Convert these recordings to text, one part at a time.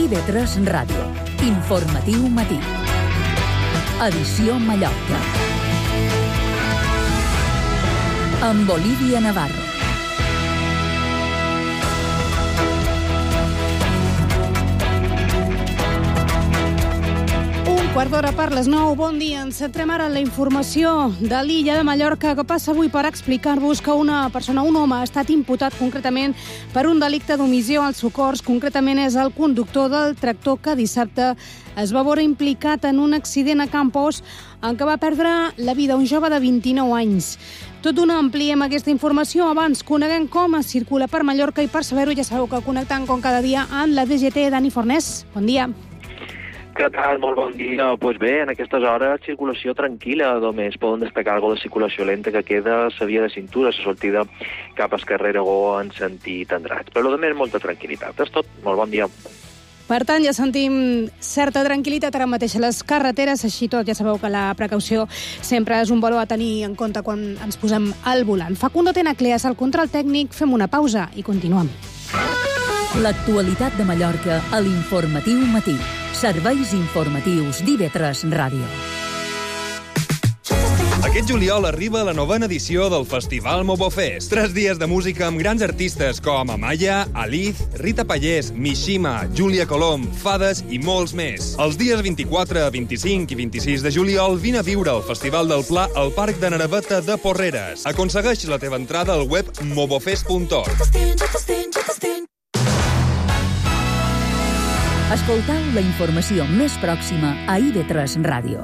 IB3 Ràdio. Informatiu matí. Edició Mallorca. Amb Olivia Navarro. Quart d'hora per les 9. Bon dia. Ens centrem ara en la informació de l'illa de Mallorca que passa avui per explicar-vos que un home, ha estat imputat concretament per un delicte d'omissió als socors. Concretament és el conductor del tractor que dissabte es va veure implicat en un accident a Campos en què va perdre la vida un jove de 29 anys. Tot d'una ampliem aquesta informació. Abans coneguem com es circula per Mallorca i per saber-ho ja sabeu que connectant com cada dia amb la DGT. Dani Fornés, bon dia. Què tal? Molt bon dia. Pues bé, en aquestes hores circulació tranquil·la. Només poden destacar alguna de circulació lenta que queda a la via de cintura, la sortida cap al carrer Aragó en sentit Andratx. Però a més, molta tranquil·litat. És tot. Molt bon dia. Per tant, ja sentim certa tranquil·litat ara mateix a les carreteres. Així tot, ja sabeu que la precaució sempre és un valor a tenir en compte quan ens posem al volant. Facundo Tenacleas, al control tècnic. Fem una pausa i continuem. L'actualitat de Mallorca a l'Informatiu Matí. Serveis informatius d'IB3 Ràdio. Aquest juliol arriba la 9a edició del Festival Mobofest. 3 dies de música amb grans artistes com Amaya, Aliz, Rita Pallés, Mishima, Júlia Colom, Fades i molts més. Els dies 24, 25 i 26 de juliol vine a viure el Festival del Pla al Parc de Naraveta de Porreres. Aconsegueix la teva entrada al web mobofest.org. Escoltau la informació més pròxima a IB3 Ràdio.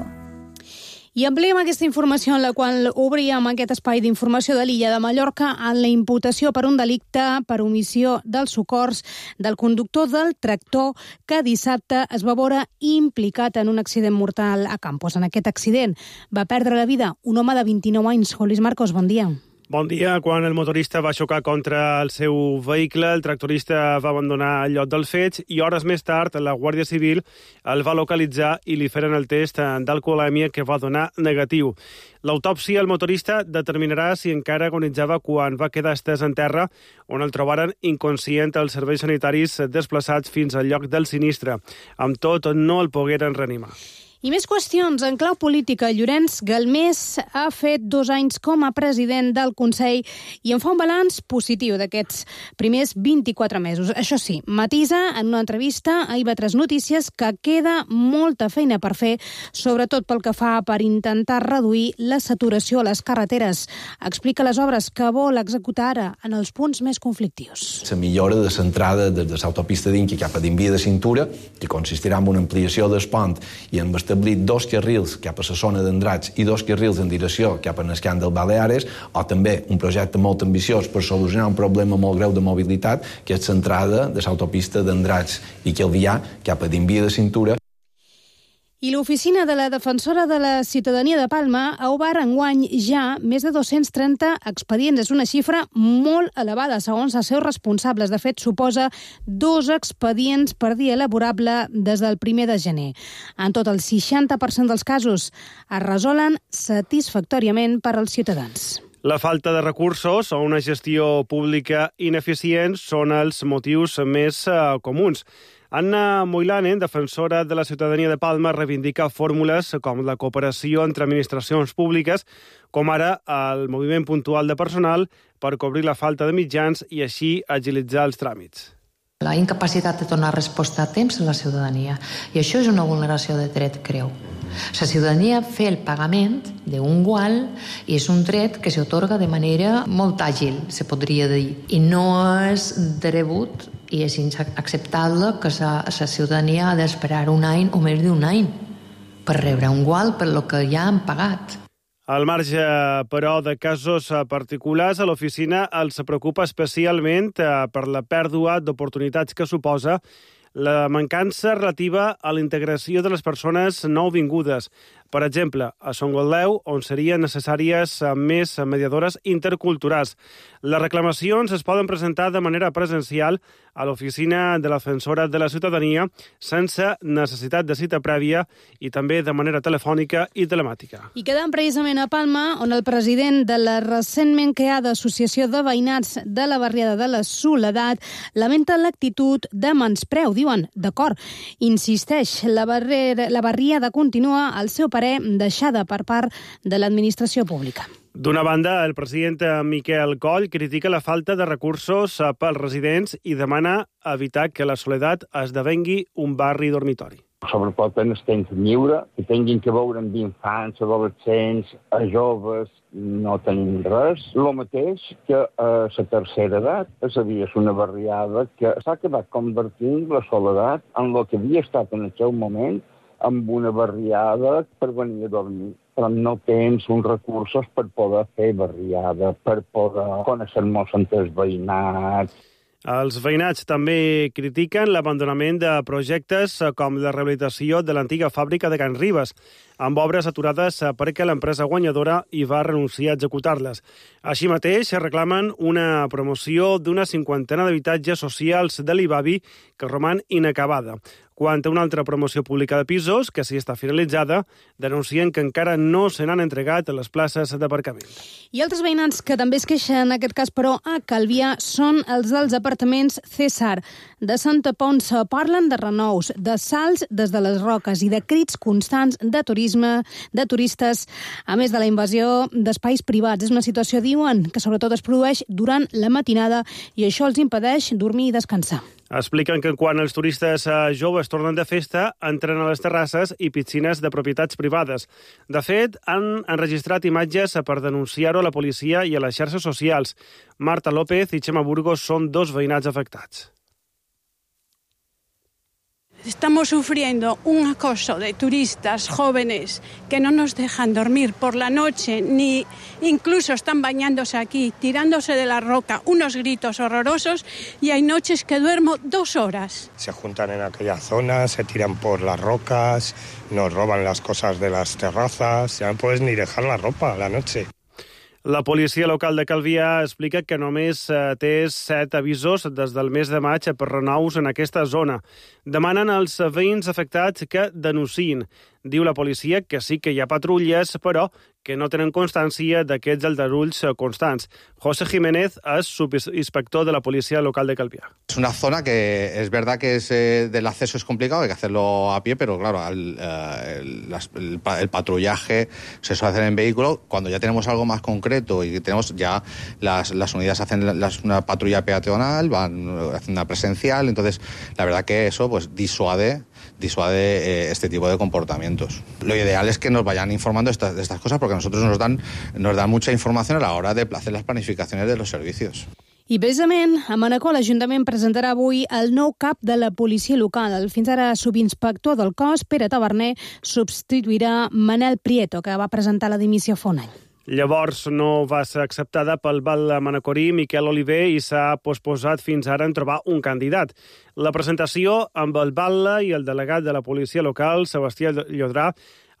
I ampliem aquesta informació en la qual obríem aquest espai d'informació de l'illa de Mallorca en la imputació per un delicte per omissió dels socors del conductor del tractor que dissabte es va veure implicat en un accident mortal a Campos. En aquest accident va perdre la vida un home de 29 anys. Luis Marcos, bon dia. Bon dia. Quan el motorista va xocar contra el seu vehicle, el tractorista va abandonar el lloc dels fets i hores més tard la Guàrdia Civil el va localitzar i li feren el test d'alcoholèmia que va donar negatiu. L'autòpsia al motorista determinarà si encara agonitzava quan va quedar estès en terra, on el trobaren inconscient els serveis sanitaris desplaçats fins al lloc del sinistre. Amb tot, no el pogueren reanimar. I més qüestions. En clau política, Llorenç Galmés ha fet 2 anys com a president del Consell i en fa un balanç positiu d'aquests primers 24 mesos. Això sí, matisa en una entrevista a IB3 Notícies que queda molta feina per fer, sobretot pel que fa per intentar reduir la saturació a les carreteres. Explica les obres que vol executar ara en els punts més conflictius. La millora de l'entrada des de l'autopista d'Inqui cap a Dimbia de Cintura, que consistirà en una ampliació del pont i en establir 2 carrils cap a la zona d'Andratx i 2 carrils en direcció cap a l'escant del Baleares, o també un projecte molt ambiciós per solucionar un problema molt greu de mobilitat, que és l'entrada de l'autopista d'Andratx i Calvià cap a Dimbia de Cintura. I l'Oficina de la Defensora de la Ciutadania de Palma ha obert enguany ja més de 230 expedients. És una xifra molt elevada, segons els seus responsables. De fet, suposa 2 expedients per dia laborable des del 1 de gener. En tot, el 60% dels casos es resolen satisfactòriament per als ciutadans. La falta de recursos o una gestió pública ineficient són els motius més comuns. Anna Moilanen, defensora de la ciutadania de Palma, reivindica fórmules com la cooperació entre administracions públiques, com ara el moviment puntual de personal per cobrir la falta de mitjans i així agilitzar els tràmits. La incapacitat de donar resposta a temps a la ciutadania. I això és una vulneració de dret greu. La ciutadania fer el pagament d'un gual i és un dret que s'atorga de manera molt àgil, se podria dir. I no és de rebut i és inacceptable que la ciutadania ha d'esperar un any o més d'un any per rebre un gual per lo que ja han pagat. Al marge, però, de casos particulars, a l'oficina els preocupa especialment per la pèrdua d'oportunitats que suposa la mancança relativa a la integració de les persones nouvingudes. Per exemple, a Son Goldeu, on serien necessàries més mediadores interculturals. Les reclamacions es poden presentar de manera presencial a l'oficina de la Defensora de la Ciutadania sense necessitat de cita prèvia i també de manera telefònica i telemàtica. I quedant precisament a Palma, on el president de la recentment creada Associació de Veïnats de la Barriada de la Soledat lamenta l'actitud de menyspreu. Diuen, d'acord, insisteix, la barriada continua al seu parer deixada per part de l'administració pública. D'una banda, el president Miquel Coll critica la falta de recursos pels residents i demana evitar que la Soledat esdevengui un barri dormitori. Sobretot en el temps lliure, que tinguin que veure amb infants, adolescents, joves, no tenim res. El mateix que a la tercera edat, és a dir, és una barriada que s'ha acabat convertint la Soledat en el que havia estat en el seu moment, amb una barriada per venir a dormir, però no tens uns recursos per poder fer barriada, per poder conèixer-nos entre els veïnats. Els veïnats també critiquen l'abandonament de projectes com la rehabilitació de l'antiga fàbrica de Can Ribes, amb obres aturades perquè l'empresa guanyadora hi va renunciar a executar-les. Així mateix, reclamen una promoció d'una 50 d'habitatges socials de l'Ibavi que roman inacabada. Quant a una altra promoció pública de pisos, que sí està finalitzada, denuncien que encara no se n'han entregat a les places d'aparcament. I altres veïnats que també es queixen, en aquest cas, però, a Calvià, són els dels apartaments César de Santa Ponça. Parlen de renous, de salts des de les roques i de crits constants de turisme, de turistes, a més de la invasió d'espais privats. És una situació, diuen, que sobretot es produeix durant la matinada i això els impedeix dormir i descansar. Expliquen que quan els turistes joves tornen de festa, entren a les terrasses i piscines de propietats privades. De fet, han enregistrat imatges per denunciar-ho a la policia i a les xarxes socials. Marta López i Xema Burgos són dos veïnats afectats. Estamos sufriendo un acoso de turistas jóvenes que no nos dejan dormir por la noche, ni incluso están bañándose aquí, tirándose de la roca, unos gritos horrorosos, y hay noches que duermo 2 horas. Se juntan en aquella zona, se tiran por las rocas, nos roban las cosas de las terrazas, ya no puedes ni dejar la ropa a la noche. La policia local de Calvià explica que només té 7 avisos des del mes de maig per renous en aquesta zona. Demanen als veïns afectats que denunciïn. Diu la policia que sí que hi ha patrulles, però que no tenen constància d'aquests aldarulls constants. José Jiménez és subinspector de la Policía Local de Calvià. Es una zona que es verdad que del acceso es complicado, hay que hacerlo a pie, pero claro, el patrullaje se suele hacer en vehículo. Cuando ya tenemos algo más concreto y tenemos ya las unidades hacen una patrulla peatonal, van haciendo una presencial, entonces la verdad que eso pues disuade este tipo de comportamientos. Lo ideal es que nos vayan informando de estas cosas porque a nosotros nos dan mucha información a la hora de hacer las planificaciones de los servicios. I precisament a Manacor l'Ajuntament presentarà avui el nou cap de la policia local. El fins ara subinspector del cos, Pere Taverner, substituirà Manel Prieto, que va presentar la dimissió fa un any. Llavors no va ser acceptada pel val manacorí Miquel Oliver i s'ha posposat fins ara en trobar un candidat. La presentació amb el batlle i el delegat de la policia local, Sebastià Llodrà,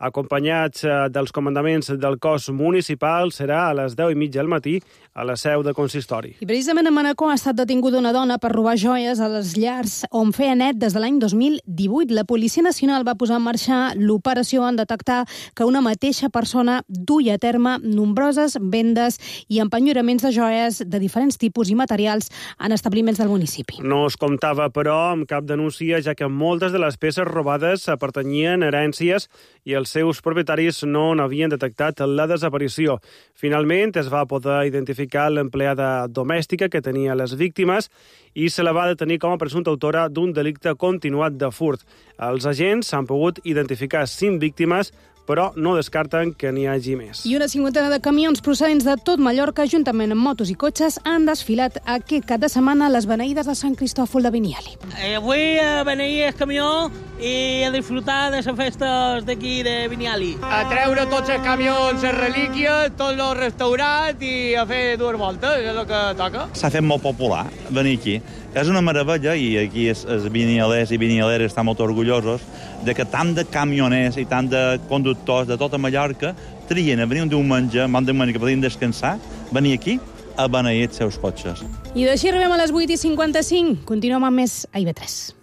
acompanyats dels comandaments del cos municipal, serà a les 10:30 del matí a la seu de consistori. I precisament a Manacor ha estat detinguda una dona per robar joies a les llars on feia net des de l'any 2018. La Policia Nacional va posar en marxa l'operació en detectar que una mateixa persona duia a terme nombroses vendes i empenyoraments de joies de diferents tipus i materials en establiments del municipi. No es comptava, però, amb cap denúncia, ja que moltes de les peces robades pertanyien a herències i els seus propietaris no n'havien detectat la desaparició. Finalment, es va poder identificar l'empleada domèstica que tenia les víctimes i se la va detenir com a presumpta autora d'un delicte continuat de furt. Els agents han pogut identificar 5 víctimes, però no descarten que n'hi hagi més. I una 50 de camions procedents de tot Mallorca, juntament amb motos i cotxes, han desfilat aquest cap de setmana a les beneïdes de Sant Cristòfol de Biniali. Avui a beneir el camió i a disfrutar de les festes d'aquí de Biniali. A treure tots els camions, les relíquies, tots els restaurants i a fer 2 voltes, és el que toca. S'ha fet molt popular venir aquí. És una meravella, i aquí els vinilers i vinilleres estan molt orgullosos de que tant de camioners i tant de conductors de tota Mallorca trien a venir un diumenge que podien descansar, venir aquí a beneir els seus cotxes. I d'així arribem a les 8:55. Continuem amb més a IB3.